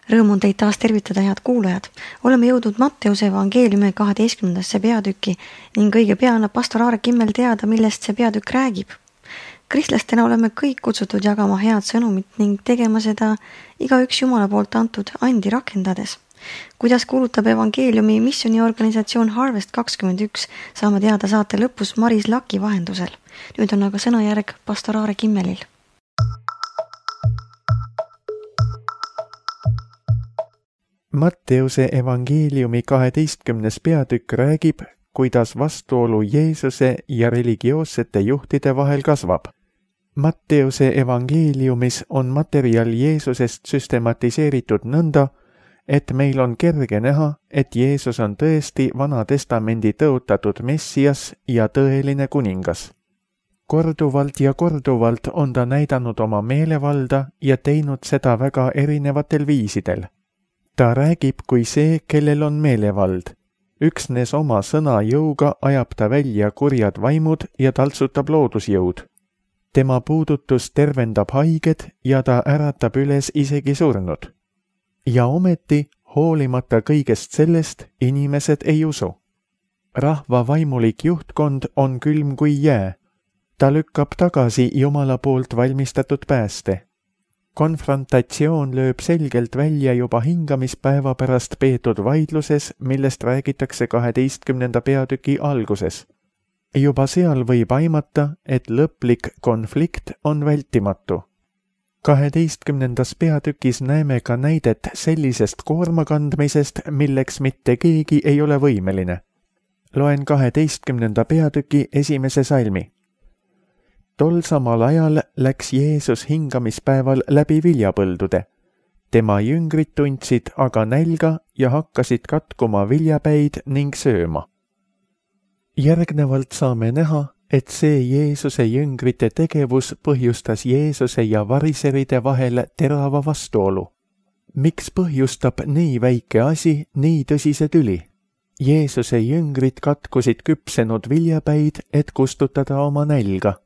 Rõõm on teid taas tervitada, head kuulajad. Oleme jõudnud Matteuse evangeeliumi 12. peatüki ning õige pea annab pastor Aare Kimmel teada, millest see peatükk räägib. Kristlastena oleme kõik kutsutud jagama head sõnumit ning tegema seda igaüks Jumala poolt antud andi rakendades. Kuidas kuulutab evangeeliumi missioniorganisatsioon Harvest 21, saame teada saate lõpus Maris Laki vahendusel. Nüüd on aga sõnajärg pastor Aare Kimmelil. Matteuse evangeeliumi 12. peatükk räägib, kuidas vastuolu Jeesuse ja religioossete juhtide vahel kasvab. Matteuse evangeeliumis on materjal Jeesusest süstematiseeritud nõnda, et meil on kerge näha, et Jeesus on tõesti Vana Testamendi tõotatud Messias ja tõeline kuningas. Korduvalt ja korduvalt on ta näidanud oma meelevalda ja teinud seda väga erinevatel viisidel. Ta räägib kui see, kellel on meelevald. Üksnes oma sõna jõuga ajab ta välja kurjad vaimud ja taltsutab loodusjõud. Tema puudutus tervendab haiged ja ta äratab üles isegi surnud. Ja ometi, hoolimata kõigest sellest, inimesed ei usu. Rahva vaimulik juhtkond on külm kui jää. Ta lükkab tagasi Jumala poolt valmistatud pääste. Konfrontatsioon lööb selgelt välja juba hingamispäeva pärast peetud vaidluses, millest räägitakse 12. peatüki alguses. Juba seal võib aimata, et lõplik konflikt on vältimatu. 12. peatükis näeme ka näidet sellisest koormakandmisest, milleks mitte keegi ei ole võimeline. Loen 12. peatüki 1. salmi. Tol samal ajal läks Jeesus hingamispäeval läbi viljapõldude. Tema jüngrid tundsid aga nälga ja hakkasid katkuma viljapäid ning sööma. Järgnevalt saame näha, et see Jeesuse jüngrite tegevus põhjustas Jeesuse ja variseride vahel terava vastuolu. Miks põhjustab nii väike asi nii tõsise tüli? Jeesuse jüngrid katkusid küpsenud viljapäid, et kustutada oma nälga.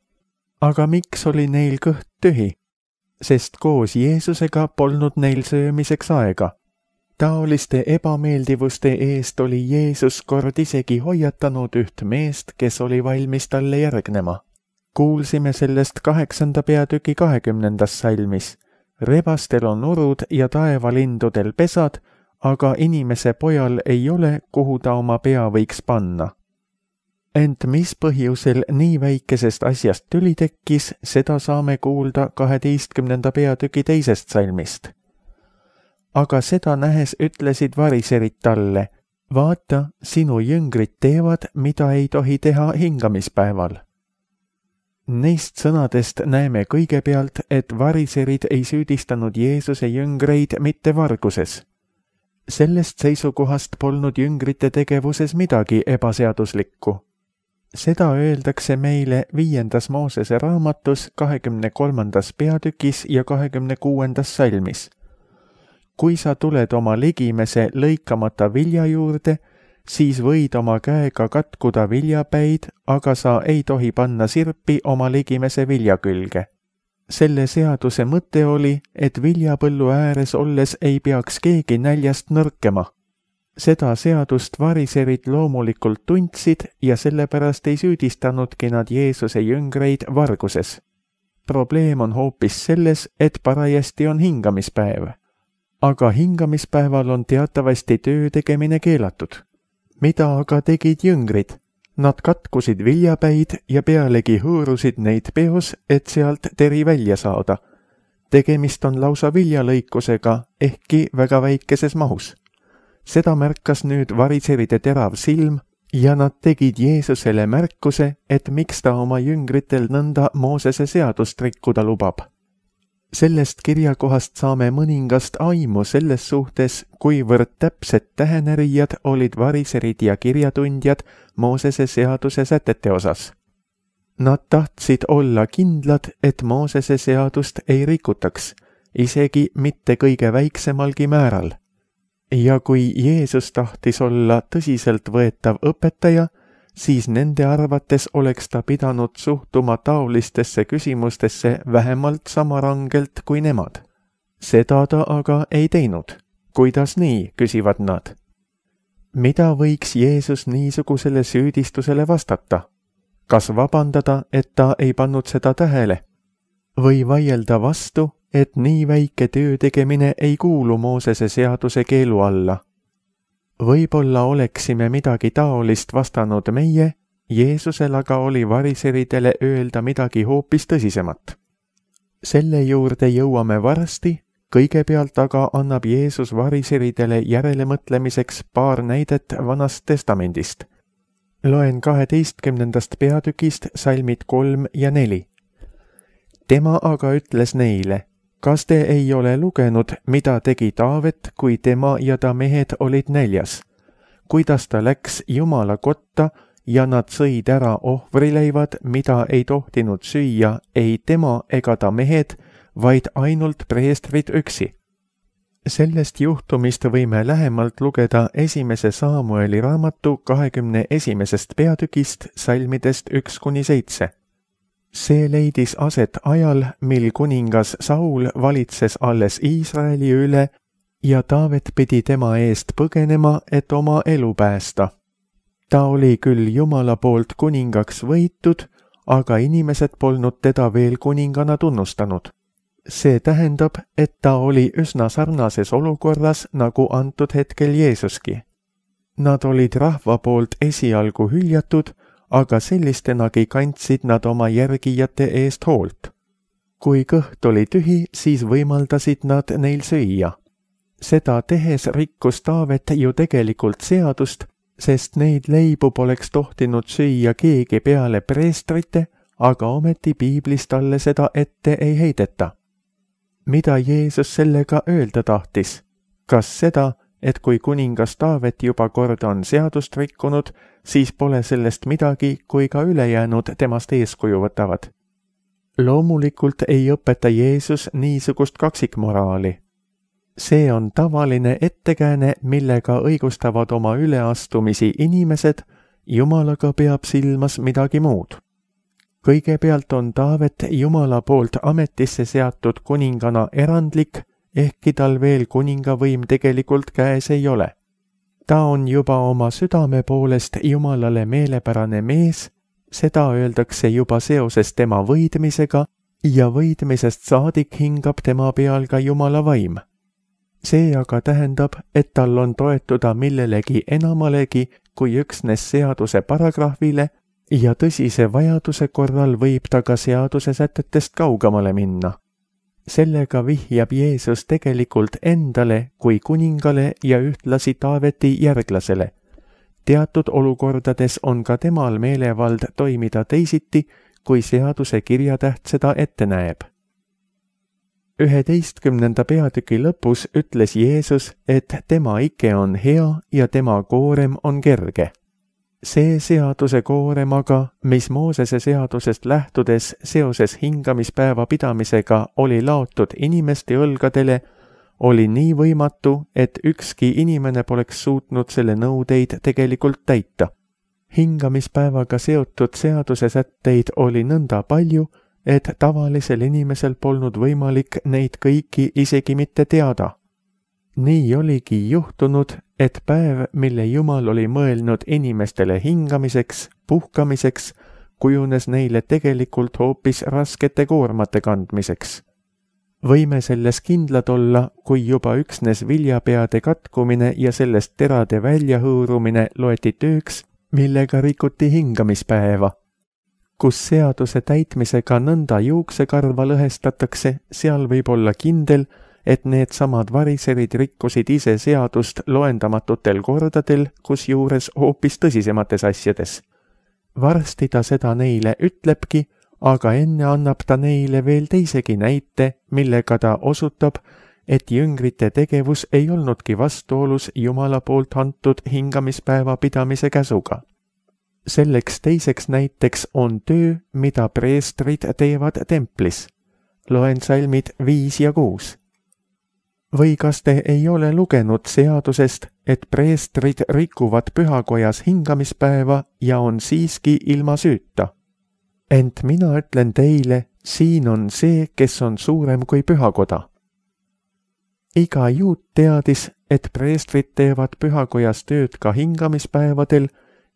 Aga miks oli neil kõht tühi? Sest koos Jeesusega polnud neil söömiseks aega. Taoliste ebameeldivuste eest oli Jeesus kord isegi hoiatanud üht meest, kes oli valmis talle järgnema. Kuulsime sellest 8. peatüki 20. salmis. Rebastel on urud ja taevalindudel pesad, aga inimese pojal ei ole, kuhu ta oma pea võiks panna. Ent mis põhjusel nii väikesest asjast tüli tekkis, seda saame kuulda 12. peatüki 2. salmist. Aga seda nähes ütlesid variserid talle, vaata, sinu jüngrid teevad, mida ei tohi teha hingamispäeval. Neist sõnadest näeme kõigepealt, et variserid ei süüdistanud Jeesuse jüngreid mitte varguses. Sellest seisukohast polnud jüngrite tegevuses midagi ebaseaduslikku. Seda öeldakse meile 5. Moosese raamatus 23. peatükis ja 26. salmis. Kui sa tuled oma ligimese lõikamata vilja juurde, siis võid oma käega katkuda viljapäid, aga sa ei tohi panna sirpi oma ligimese vilja külge. Selle seaduse mõte oli, et viljapõllu ääres olles ei peaks keegi näljast nõrkema. Seda seadust variserid loomulikult tundsid ja sellepärast ei süüdistanudki nad Jeesuse jüngreid varguses. Probleem on hoopis selles, et parajasti on hingamispäev. Aga hingamispäeval on teatavasti töö tegemine keelatud. Mida aga tegid jüngrid? Nad katkusid viljapäid ja pealegi hõõrusid neid peos, et sealt teri välja saada. Tegemist on lausa viljalõikusega, ehkki väga väikeses mahus. Seda märkas nüüd variseride terav silm ja nad tegid Jeesusele märkuse, et miks ta oma jüngritel nõnda Moosese seadust rikkuda lubab. Sellest kirjakohast saame mõningast aimu selles suhtes, kuivõrd täpsed tähenärijad olid variserid ja kirjatundjad Moosese seaduse sätete osas. Nad tahtsid olla kindlad, et Moosese seadust ei rikutaks, isegi mitte kõige väiksemalgi määral. Ja kui Jeesus tahtis olla tõsiselt võetav õpetaja, siis nende arvates oleks ta pidanud suhtuma taolistesse küsimustesse vähemalt sama rangelt kui nemad. Seda ta aga ei teinud. kuidas nii, küsivad nad. Mida võiks Jeesus niisugusele süüdistusele vastata? Kas vabandada, et ta ei pannud seda tähele? Või vaielda vastu, et nii väike töö tegemine ei kuulu Moosese seaduse keelu alla? Võib-olla oleksime midagi taolist vastanud meie, Jeesusel aga oli variseridele öelda midagi hoopis tõsisemat. Selle juurde jõuame varsti, kõigepealt aga annab Jeesus variseridele järelemõtlemiseks paar näidet Vanast Testamendist. Loen 12. peatükist salmid 3 ja 4. Tema aga ütles neile, kas te ei ole lugenud, mida tegi Taavet, kui tema ja ta mehed olid näljas? Kuidas ta läks Jumala kotta ja nad sõid ära ohvrileivad, mida ei tohtinud süüa ei tema ega ta mehed, vaid ainult preestrid üksi. Sellest juhtumist võime lähemalt lugeda 1. Saamueli raamatu 21. peatükist salmidest 1-7. See leidis aset ajal, mil kuningas Saul valitses alles Iisraeli üle ja Taavet pidi tema eest põgenema, et oma elu päästa. Ta oli küll Jumala poolt kuningaks võitud, aga inimesed polnud teda veel kuningana tunnustanud. See tähendab, et ta oli üsna sarnases olukorras nagu antud hetkel Jeesuski. Nad olid rahva poolt esialgu hüljatud, aga sellistenagi kandsid nad oma järgijate eest hoolt. Kui kõht oli tühi, siis võimaldasid nad neil süüa. Seda tehes rikkus Taavet ju tegelikult seadust, sest neid leibu poleks tohtinud süüa keegi peale preestrite, aga ometi piiblis talle seda ette ei heideta. Mida Jeesus sellega öelda tahtis? Kas seda, et kui kuningas Taavet juba kord on seadust rikkunud, siis pole sellest midagi, kui ka ülejäänud temast eeskuju võtavad? Loomulikult ei õpeta Jeesus niisugust kaksikmoraali. See on tavaline ettekääne, millega õigustavad oma üleastumisi inimesed, Jumalaga peab silmas midagi muud. Kõigepealt on Taavet Jumala poolt ametisse seatud kuningana erandlik, ehkki tal veel kuningavõim tegelikult käes ei ole. Ta on juba oma südame poolest Jumalale meelepärane mees, seda öeldakse juba seoses tema võidmisega ja võidmisest saadik hingab tema peal ka Jumala vaim. See aga tähendab, et tal on toetuda millelegi enamalegi kui üksnes seaduse paragrahvile ja tõsise vajaduse korral võib ta ka seaduse sätetest kaugemale minna. Sellega vihjab Jeesus tegelikult endale kui kuningale ja ühtlasi Taaveti järglasele. Teatud olukordades on ka temal meelevald toimida teisiti, kui seaduse kirjatäht seda ette näeb. 11. peatüki lõpus ütles Jeesus, et tema ike on hea ja tema koorem on kerge. See seaduse koorem aga, mis Moosese seadusest lähtudes seoses hingamispäeva pidamisega oli laotud inimeste õlgadele, oli nii võimatu, et ükski inimene poleks suutnud selle nõudeid tegelikult täita. Hingamispäevaga seotud seaduse sätteid oli nõnda palju, et tavalisel inimesel polnud võimalik neid kõiki isegi mitte teada. Nii oligi juhtunud, et päev, mille Jumal oli mõelnud inimestele hingamiseks, puhkamiseks, kujunes neile tegelikult hoopis raskete koormate kandmiseks. Võime selles kindlad olla, kui juba üksnes viljapeade katkumine ja sellest terade väljahõõrumine loeti tööks, millega rikuti hingamispäeva. Kus seaduse täitmisega nõnda juuksekarva lõhestatakse, seal võib olla kindel, et need samad variserid rikkusid ise seadust loendamatutel kordadel, kusjuures hoopis tõsisemates asjades. Varsti ta seda neile ütlebki, aga enne annab ta neile veel teisegi näite, millega ta osutab, et jüngrite tegevus ei olnudki vastuolus Jumala poolt antud hingamispäeva pidamise käsuga. Selleks teiseks näiteks on töö, mida preestrid teevad templis. Loen salmid 5 ja 6. Või kas te ei ole lugenud seadusest, et preestrid rikuvad pühakojas hingamispäeva ja on siiski ilma süüta? Ent mina ütlen teile, siin on see, kes on suurem kui pühakoda. iga juut teadis, et preestrid teevad pühakojas tööd ka hingamispäevadel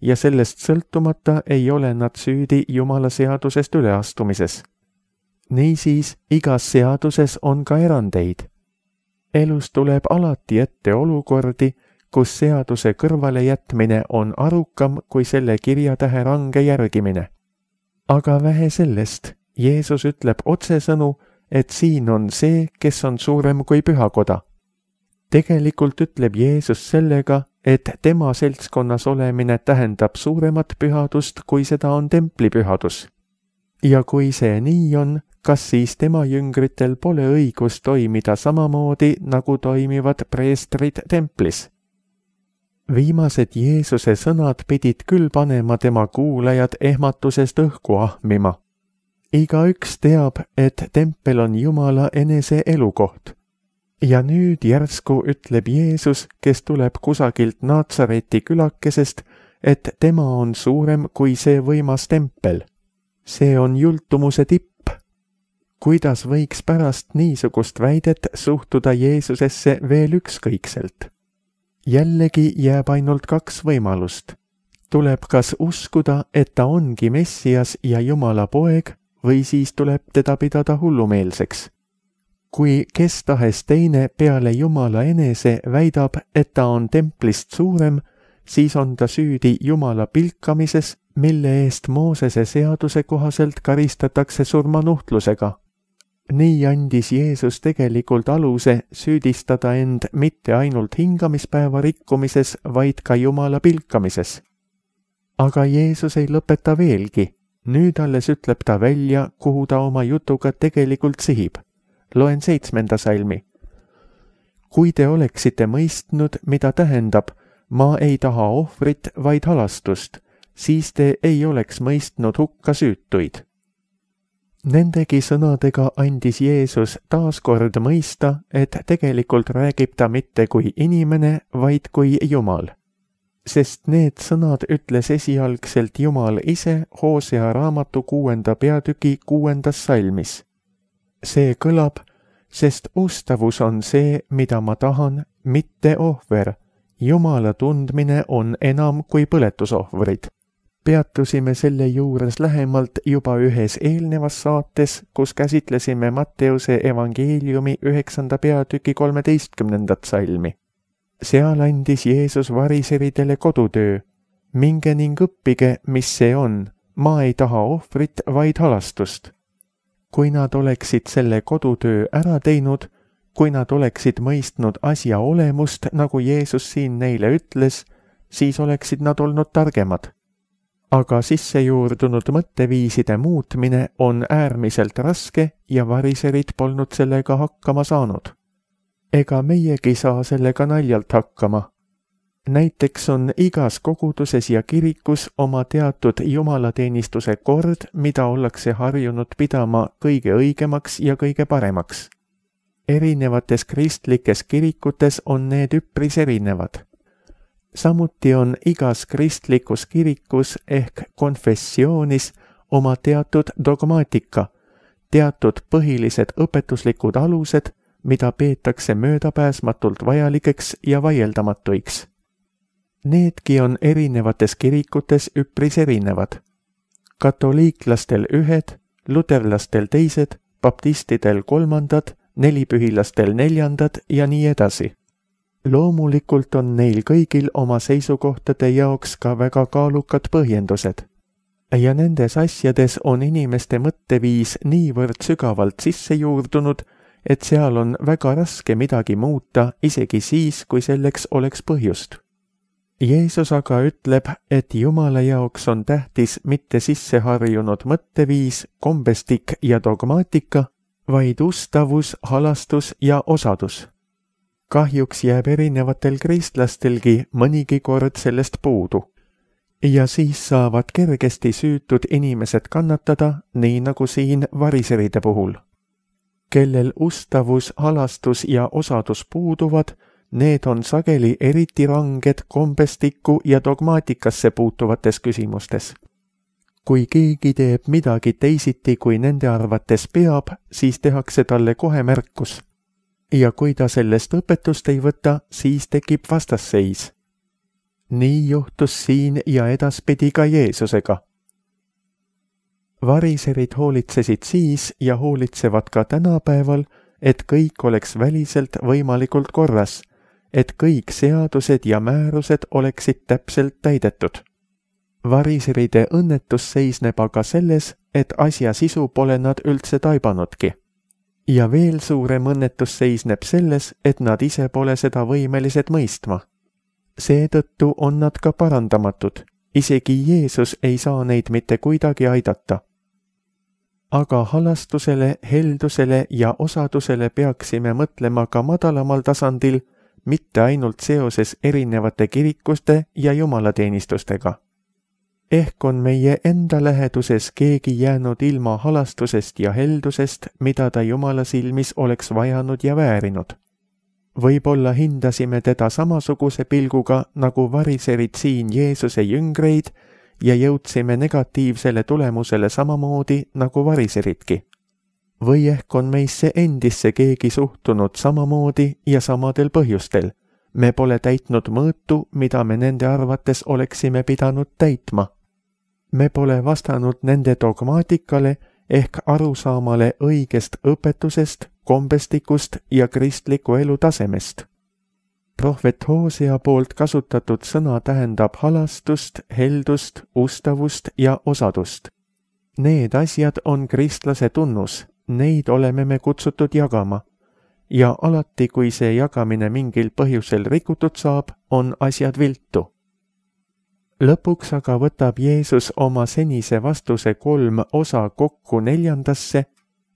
ja sellest sõltumata ei ole nad süüdi Jumala seadusest üleastumises. Niisiis, igas seaduses on ka erandeid. Elus tuleb alati ette olukordi, kus seaduse kõrvalejätmine on arukam kui selle kirjatähe range järgimine. Aga vähe sellest, Jeesus ütleb otsesõnu, et siin on see, kes on suurem kui pühakoda. Tegelikult ütleb Jeesus sellega, et tema seltskonnas olemine tähendab suuremat pühadust, kui seda on templipühadus. Ja kui see nii on, kas siis tema jüngritel pole õigus toimida samamoodi, nagu toimivad preestrid templis? Viimased Jeesuse sõnad pidid küll panema tema kuulajad ehmatusest õhku ahmima. Igaüks teab, et tempel on Jumala enese elukoht. Ja nüüd järsku ütleb Jeesus, kes tuleb kusagilt Naatsareti külakesest, et tema on suurem kui see võimas tempel. See on jultumuse tipp. Kuidas võiks pärast niisugust väidet suhtuda Jeesusesse veel ükskõikselt? Jällegi jääb ainult 2 võimalust. Tuleb kas uskuda, et ta ongi Messias ja Jumala poeg, või siis tuleb teda pidada hullumeelseks. Kui kes tahes teine peale Jumala enese väidab, et ta on templist suurem, siis on ta süüdi Jumala pilkamises, mille eest Moosese seaduse kohaselt karistatakse surmanuhtlusega. Nii andis Jeesus tegelikult aluse süüdistada end mitte ainult hingamispäeva rikkumises, vaid ka Jumala pilkamises. Aga Jeesus ei lõpeta veelgi. Nüüd alles ütleb ta välja, kuhu ta oma jutuga tegelikult sihib. Loen 7. salmi. Kui te oleksite mõistnud, mida tähendab, ma ei taha ohvrit, vaid halastust, siis te ei oleks mõistnud hukka süütuid. Nendegi sõnadega andis Jeesus taas kord mõista, et tegelikult räägib ta mitte kui inimene, vaid kui Jumal. Sest need sõnad ütles esialgselt Jumal ise Hoosea raamatu 6. peatüki 6. salmis. See kõlab, sest ustavus on see, mida ma tahan, mitte ohver. Jumala tundmine on enam kui põletusohvrid. Peatusime selle juures lähemalt juba ühes eelnevas saates, kus käsitlesime Matteuse evangeeliumi 9. peatüki 13. salmi. Seal andis Jeesus variseridele kodutöö. Minge ning õppige, mis see on. Ma ei taha ohvrit, vaid halastust. Kui nad oleksid selle kodutöö ära teinud, kui nad oleksid mõistnud asja olemust, nagu Jeesus siin neile ütles, siis oleksid nad olnud targemad. Aga sissejuurdunud mõtteviiside muutmine on äärmiselt raske ja variserid polnud sellega hakkama saanud. Ega meiegi saa sellega naljalt hakkama. Näiteks on igas koguduses ja kirikus oma teatud jumalateenistuse kord, mida ollakse harjunud pidama kõige õigemaks ja kõige paremaks. Erinevates kristlikes kirikutes on need üpris erinevad. Samuti on igas kristlikus kirikus ehk konfessioonis oma teatud dogmaatika, teatud põhilised õpetuslikud alused, mida peetakse möödapääsmatult vajalikeks ja vaieldamatuiks. Needki on erinevates kirikutes üpris erinevad. Katoliiklastel ühed, luterlastel teised, baptistidel 3, nelipühilastel 4 ja nii edasi. Loomulikult on neil kõigil oma seisukohtade jaoks ka väga kaalukad põhjendused. Ja nendes asjades on inimeste mõtteviis niivõrd sügavalt sisse juurdunud, et seal on väga raske midagi muuta, isegi siis, kui selleks oleks põhjust. Jeesus aga ütleb, et Jumala jaoks on tähtis mitte sisseharjunud mõtteviis, kombestik ja dogmaatika, vaid ustavus, halastus ja osadus. Kahjuks jääb erinevatel kristlastelgi mõnigi kord sellest puudu. Ja siis saavad kergesti süütud inimesed kannatada, nii nagu siin variseride puhul. Kellel ustavus, halastus ja osadus puuduvad, need on sageli eriti ranged kombestikku ja dogmaatikasse puutuvates küsimustes. Kui keegi teeb midagi teisiti, kui nende arvates peab, siis tehakse talle kohe märkus. ja kui ta sellest õpetust ei võta, siis tekib vastasseis. Nii juhtus siin ja edaspidi ka Jeesusega. Variserid hoolitsesid siis ja hoolitsevad ka tänapäeval, et kõik oleks väliselt võimalikult korras, et kõik seadused ja määrused oleksid täpselt täidetud. Variseride õnnetus seisneb aga selles, et asja sisu pole nad üldse taibanudki. Ja veel suurem õnnetus seisneb selles, et nad ise pole seda võimelised mõistma. Seetõttu on nad ka parandamatud, isegi Jeesus ei saa neid mitte kuidagi aidata. Aga halastusele, heldusele ja osadusele peaksime mõtlema ka madalamal tasandil, mitte ainult seoses erinevate kirikuste ja jumalateenistustega. Ehk on meie enda läheduses keegi jäänud ilma halastusest ja heldusest, mida ta Jumala silmis oleks vajanud ja väärinud. Võib-olla hindasime teda samasuguse pilguga, nagu variserid siin Jeesuse jüngreid ja jõudsime negatiivsele tulemusele samamoodi nagu variseridki. Või ehk on meisse endisse keegi suhtunud samamoodi ja samadel põhjustel. Me pole täitnud mõõtu, mida me nende arvates oleksime pidanud täitma. Me pole vastanud nende dogmaatikale ehk arusaamale õigest õpetusest, kombestikust ja kristliku elu tasemest. Prohvet Hosea poolt kasutatud sõna tähendab halastust, heldust, ustavust ja osadust. Need asjad on kristlase tunnus, neid oleme me kutsutud jagama. Ja alati, kui see jagamine mingil põhjusel rikutud saab, on asjad viltu. Lõpuks aga võtab Jeesus oma senise vastuse 3 osa kokku 4.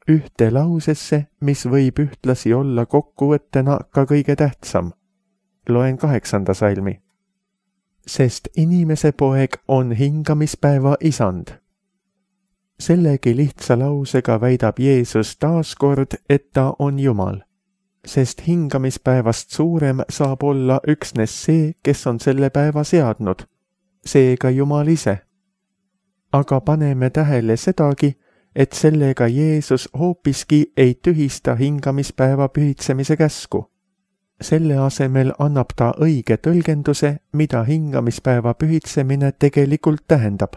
ühte lausesse, mis võib ühtlasi olla kokkuvõttena ka kõige tähtsam. Loen 8. salmi. Sest inimese poeg on hingamispäeva isand. Sellegi lihtsa lausega väidab Jeesus taaskord, et ta on Jumal. Sest hingamispäevast suurem saab olla üksnes see, kes on selle päeva seadnud, seega Jumal ise. Aga paneme tähele sedagi, et sellega Jeesus hoopiski ei tühista hingamispäeva pühitsemise käsku. Selle asemel annab ta õige tõlgenduse, mida hingamispäeva pühitsemine tegelikult tähendab.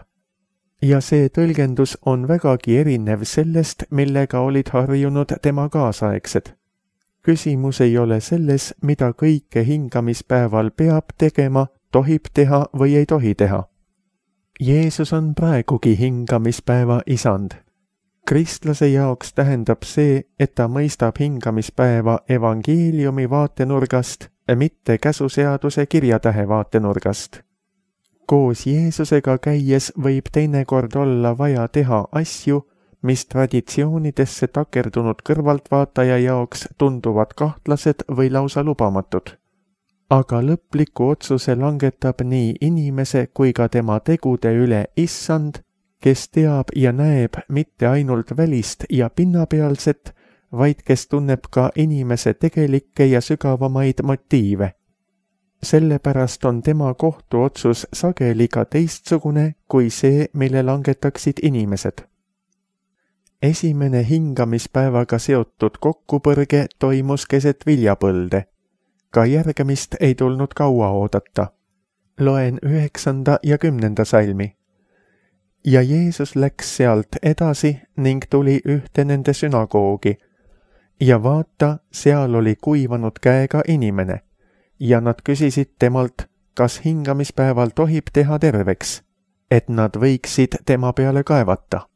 Ja see tõlgendus on vägagi erinev sellest, millega olid harjunud tema kaasaegsed. Küsimus ei ole selles, mida kõike hingamispäeval peab tegema, tohib teha või ei tohi teha. Jeesus on praegugi hingamispäeva isand. Kristlase jaoks tähendab see, et ta mõistab hingamispäeva evangeeliumi vaatenurgast, mitte käsuseaduse kirjatähe vaatenurgast. Koos Jeesusega käies võib teinekord olla vaja teha asju, mis traditsioonidesse takerdunud kõrvaltvaataja jaoks tunduvad kahtlased või lausa lubamatud. Aga lõpliku otsuse langetab nii inimese kui ka tema tegude üle issand, kes teab ja näeb mitte ainult välist ja pinnapealset, vaid kes tunneb ka inimese tegelikke ja sügavamaid motiive. Sellepärast on tema kohtuotsus sageli ka teistsugune kui see, mille langetaksid inimesed. Esimene hingamispäevaga seotud kokkupõrge toimus keset viljapõlde. Ka järgemist ei tulnud kaua oodata. Loen 9. ja 10. salmi. Ja Jeesus läks sealt edasi ning tuli ühte nende sünagoogi. Ja vaata, seal oli kuivanud käega inimene. Ja nad küsisid temalt, kas hingamispäeval tohib teha terveks, et nad võiksid tema peale kaevata.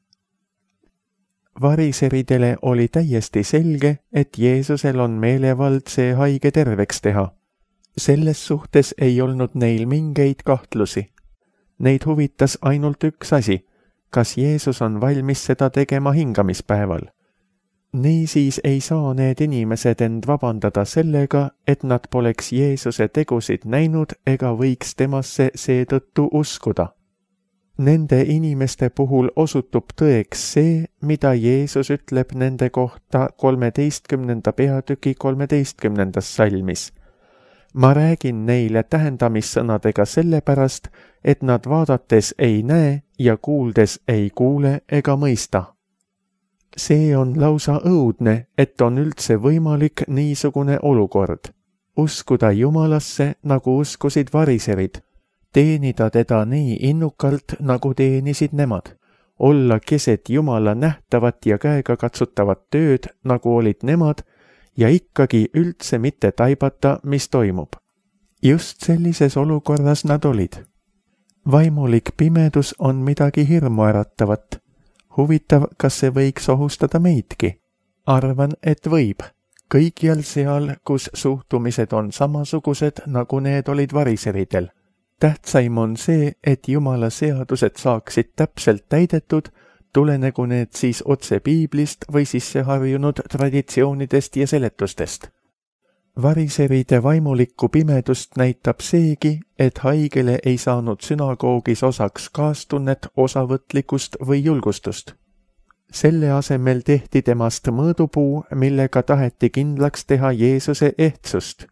Variseridele oli täiesti selge, et Jeesusel on meelevald see haige terveks teha. Selles suhtes ei olnud neil mingeid kahtlusi. Neid huvitas ainult üks asi, kas Jeesus on valmis seda tegema hingamispäeval. Niisiis ei saa need inimesed end vabandada sellega, et nad poleks Jeesuse tegusid näinud ega võiks temasse seetõttu uskuda. Nende inimeste puhul osutub tõeks see, mida Jeesus ütleb nende kohta 13. peatüki 13. salmis. Ma räägin neile tähendamissõnadega sellepärast, et nad vaadates ei näe ja kuuldes ei kuule ega mõista. See on lausa õudne, et on üldse võimalik niisugune olukord. Uskuda Jumalasse, nagu uskusid variserid, teenida teda nii innukalt, nagu teenisid nemad, olla keset Jumala nähtavat ja käega katsutavat tööd, nagu olid nemad, ja ikkagi üldse mitte taibata, mis toimub. Just sellises olukorras nad olid. Vaimulik pimedus on midagi hirmuäratavat. Huvitav, kas see võiks ohustada meidki? Arvan, et võib. Kõikjal seal, kus suhtumised on samasugused, nagu need olid variseridel. Tähtsaim on see, et Jumala seadused saaksid täpselt täidetud, tulenegu need siis otse piiblist või sisseharjunud traditsioonidest ja seletustest. Variseride vaimulikku pimedust näitab seegi, et haigele ei saanud sünagoogis osaks kaastunnet, osavõtlikkust või julgustust. Selle asemel tehti temast mõõdupuu, millega taheti kindlaks teha Jeesuse ehtsust.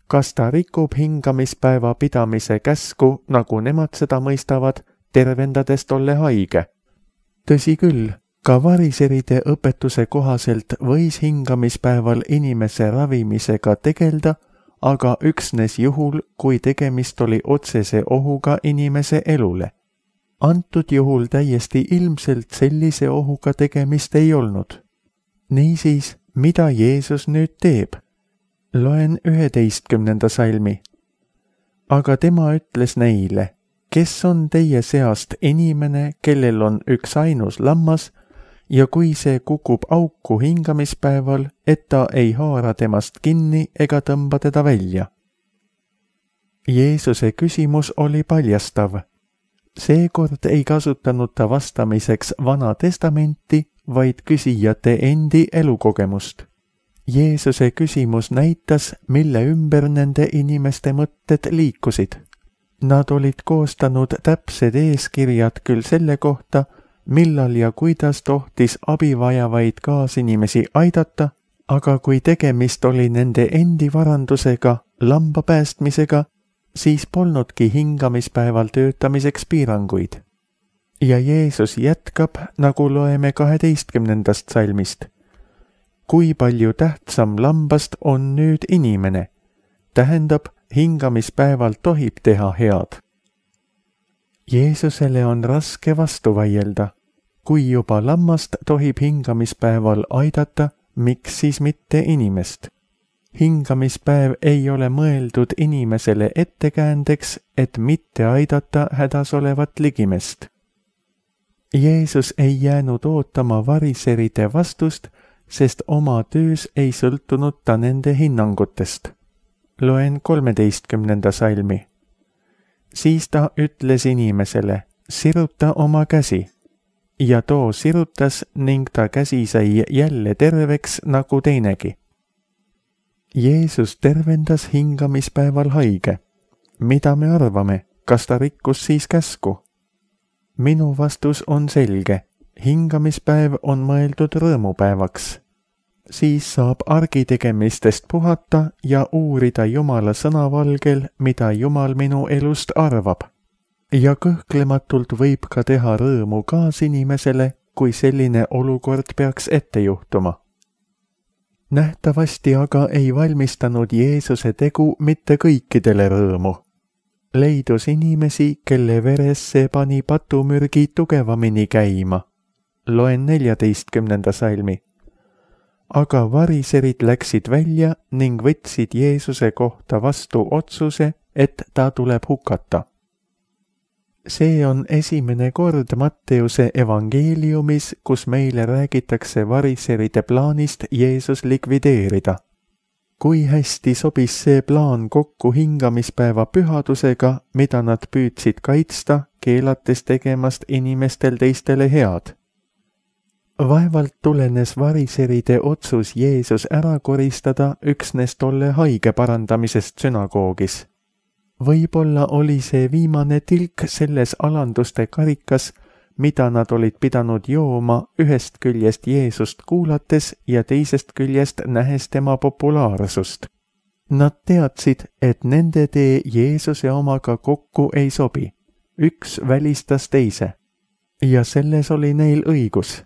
Kas ta rikub hingamispäeva pidamise käsku, nagu nemad seda mõistavad, tervendades tolle haige? Tõsi küll, ka variseride õpetuse kohaselt võis hingamispäeval inimese ravimisega tegelda, aga üksnes juhul, kui tegemist oli otsese ohuga inimese elule. Antud juhul täiesti ilmselt sellise ohuga tegemist ei olnud. Niisiis, mida Jeesus nüüd teeb? Loen 11. salmi. Aga tema ütles neile, kes on teie seast inimene, kellel on üks ainus lammas, ja kui see kukub auku hingamispäeval, et ta ei haara temast kinni ega tõmba teda välja. Jeesuse küsimus oli paljastav. Seekord ei kasutanud ta vastamiseks Vana Testamenti, vaid küsijate endi elukogemust. Jeesuse küsimus näitas, mille ümber nende inimeste mõtted liikusid. Nad olid koostanud täpsed eeskirjad küll selle kohta, millal ja kuidas tohtis abivajavaid kaasinimesi aidata, aga kui tegemist oli nende endi varandusega, lamba päästmisega, siis polnudki hingamispäeval töötamiseks piiranguid. Ja Jeesus jätkab, nagu loeme 12. salmist. Kui palju tähtsam lambast on nüüd inimene? Tähendab, hingamispäeval tohib teha head. Jeesusele on raske vastu vaielda. Kui juba lammast tohib hingamispäeval aidata, miks siis mitte inimest? Hingamispäev ei ole mõeldud inimesele ettekäändeks, et mitte aidata hädas olevat ligimest. Jeesus ei jäänud ootama variseride vastust, sest oma töös ei sõltunud ta nende hinnangutest. Loen 13. salmi. Siis ta ütles inimesele, siruta oma käsi. Ja too sirutas ning ta käsi sai jälle terveks nagu teinegi. Jeesus tervendas hingamispäeval haige. Mida me arvame, kas ta rikkus siis käsku? Minu vastus on selge. Hingamispäev on mõeldud rõõmupäevaks. Siis saab argitegemistest puhata ja uurida Jumala sõnavalgel, mida Jumal minu elust arvab. Ja kõhklematult võib ka teha rõõmu kaasinimesele, kui selline olukord peaks ette juhtuma. Nähtavasti aga ei valmistanud Jeesuse tegu mitte kõikidele rõõmu. Leidus inimesi, kelle veres see pani patumürgi tugevamini käima. Loen 14. salmi. Aga variserid läksid välja ning võtsid Jeesuse kohta vastu otsuse, et ta tuleb hukata. See on esimene kord Matteuse evangeeliumis, kus meile räägitakse variseride plaanist Jeesus likvideerida. Kui hästi sobis see plaan kokku hingamispäeva pühadusega, mida nad püüdsid kaitsta, keelates tegemast inimestel teistele head. Vaevalt tulenes variseride otsus Jeesus ära koristada üksnes tolle haige parandamisest sünagoogis. Võib-olla oli see viimane tilk selles alanduste karikas, mida nad olid pidanud jooma ühest küljest Jeesust kuulates ja teisest küljest nähes tema populaarsust. Nad teadsid, et nende tee Jeesuse omaga kokku ei sobi. Üks välistas teise. Ja selles oli neil õigus.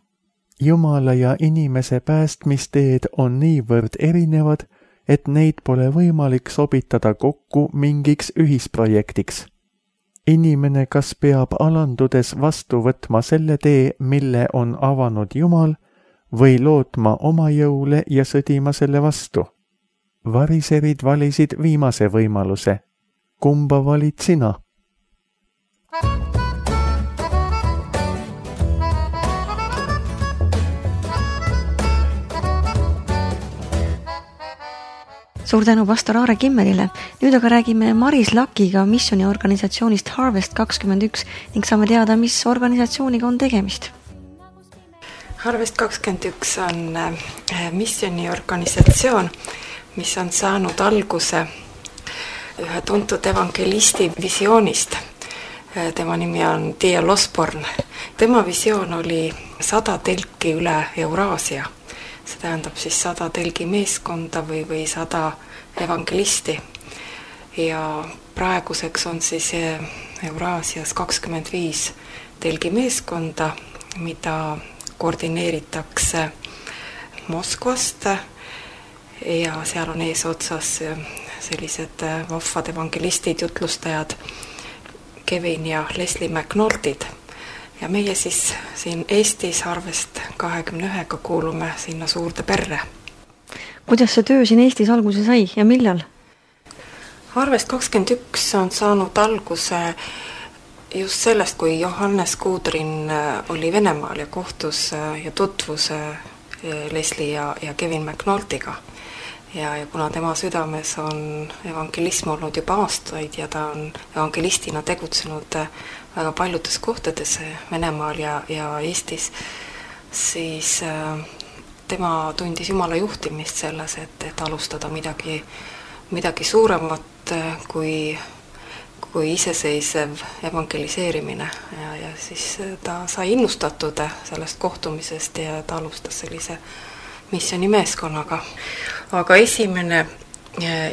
Jumala ja inimese päästmisteed on niivõrd erinevad, et neid pole võimalik sobitada kokku mingiks ühisprojektiks. Inimene kas peab alandudes vastu võtma selle tee, mille on avanud Jumal, või lootma oma jõule ja sõdima selle vastu. Variserid valisid viimase võimaluse. Kumba valid sina? Suur tänu pastor Aare Kimmelile. Nüüd aga räägime Maris Lakiga missiooniorganisatsioonist Harvest 21 ning saame teada, mis organisatsiooniga on tegemist. Harvest 21 on missiooniorganisatsioon, mis on saanud alguse ühe tuntud evangelisti visioonist. Tema nimi on D.L. Osborne. Tema visioon oli 100 telki üle Euraasia. See tähendab siis 100 telgi meeskonda või 100 evangelisti. Ja praeguseks on siis Euraasias 25 telgi meeskonda, mida koordineeritakse Moskvast ja seal on eesotsas sellised vahvad evangelistid, jutlustajad Kevin ja Leslie McNultid. Ja meie siis siin Eestis Harvest 21 kuulume sinna suurde perre. Kuidas see töö siin Eestis alguse sai ja millal? Harvest 21 on saanud alguse just sellest, kui Johannes Kudrin oli Venemaal ja kohtus ja tutvus Leslie ja Kevin McNultiga. Ja kuna tema südames on evangelism olnud juba aastaid ja ta on evangelistina tegutsenud väga paljudes kohtades Venemaal ja Eestis, siis tema tundis Jumala juhtimist selles, et alustada midagi suuremat kui iseseisev evangeliseerimine ja siis ta sai innustatud sellest kohtumisest ja ta alustas sellise missioonimeeskonnaga. Aga esimene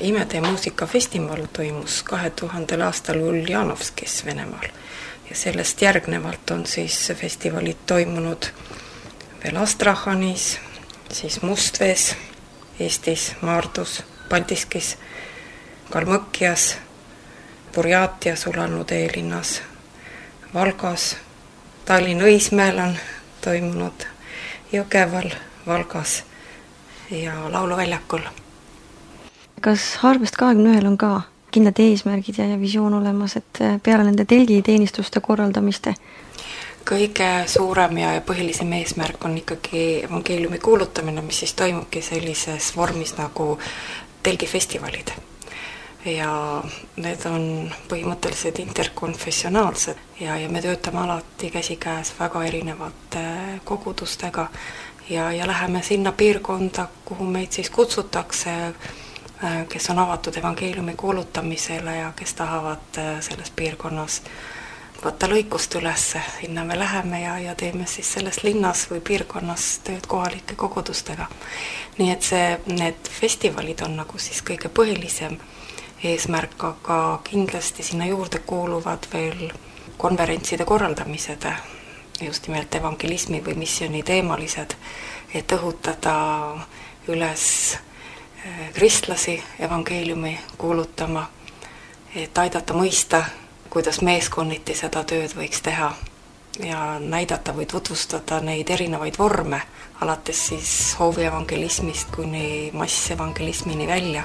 Imede muusikafestival toimus 2000 aastal Uljanovskis Venemaal ja sellest järgnevalt on siis festivalid toimunud veel Astrahanis, siis Mustvees, Eestis, Maardus, Paldiskis, Kalmõkjas, Burjaatias, Ulannud eelinnas, Valgas, Tallinna Õismäel on toimunud, Jõgeval, Valgas ja Lauluväljakul. Kas Harvest 21 on ka kindlad eesmärgid ja visioon olemas, et peale nende telgiteenistuste korraldamiste? Kõige suurem ja põhilisem eesmärk on ikkagi evangeeliumi kuulutamine, mis siis toimubki sellises vormis nagu telgifestivalid. Ja need on põhimõtteliselt interkonfessionaalsed ja me töötame alati käsikäes väga erinevate kogudustega ja läheme sinna piirkonda, kuhu meid siis kutsutakse, kes on avatud evangeeliumi kuulutamisele ja kes tahavad selles piirkonnas võtta lõikust üles. Sinna me läheme ja teeme siis selles linnas või piirkonnas tööd kohalike kogudustega. Nii et need festivalid on nagu siis kõige põhilisem eesmärk, aga kindlasti sinna juurde kuuluvad veel konverentside korraldamised, just nimelt evangelismi või missiooni teemalised, et õhutada üles kristlasi evangeeliumi kuulutama, et aidata mõista, kuidas meeskonniti seda tööd võiks teha ja näidata või tutvustada neid erinevaid vorme, alates siis hoovievangelismist kuni massevangelismini välja.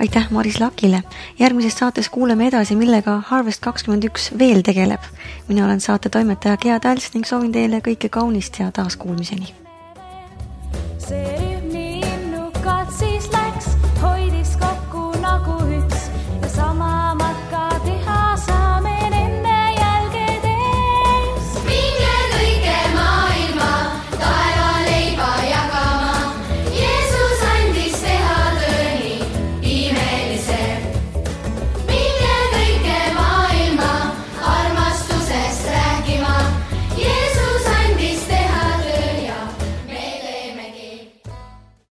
Aitäh Maris Lakile. Järgmises saates kuuleme edasi, millega Harvest 21 veel tegeleb. Mina olen saate toimetaja Gea Täls ning soovin teile kõike kaunist ja taaskuulmiseni.